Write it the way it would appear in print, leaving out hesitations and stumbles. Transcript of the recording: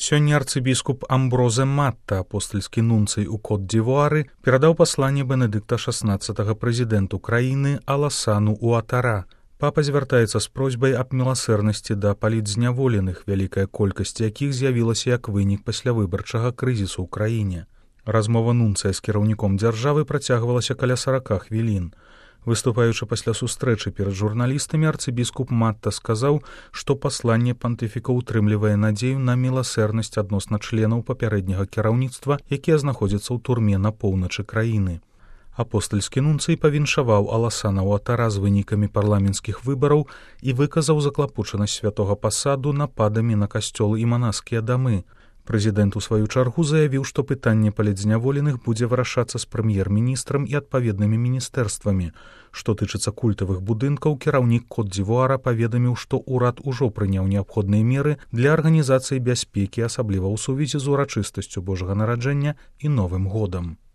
Сёння арцыбіскуп Амброзе Матта, апостальскі нунцый у Кот-д'Івуары, перадаў пасланне Бенедыкта XVI прэзідэнту краіны Аласану Уатара. Папа звяртаецца з просьбай аб міласэрнасці да палітзняволеных, вялікая колькасць якіх з'явілася як вынік паслявыбарчага крызісу ў краіне. Размова нунцыя з кіраўніком дзяржавы працягвалася каля 40 хвілін. Выступаючы пасля сустрэчы перад журналістамі, арцыбіскуп Матта сказаў, што пасланне пантыфіка ўтрымлівае надзею на міласэрнасць адносна членаў папярэдняга кіраўніцтва, якія знаходзяцца ў турме на поўначы краіны. Апостальскі нунцый павіншаваў Аласана Уатара з вынікамі парламенцкіх выбараў і выказаў заклапочанасць святога пасаду нападамі на касцёлы і манаскія дамы. Прэзідэнт у сваю чаргу заявіў, што пытанне палітзняволеных будзе вырашацца з прэм'ер-міністрам і адпаведнымі міністэрствамі. Што тычыцца культавых будынкаў, кіраўнік Кот-д'Івуара паведаміў, што ўрад ужо прыняў неабходныя меры для арганізацыі бяспекі, асабліва ў сувязі з урачыстасцю Божага нараджэння і Новым годам.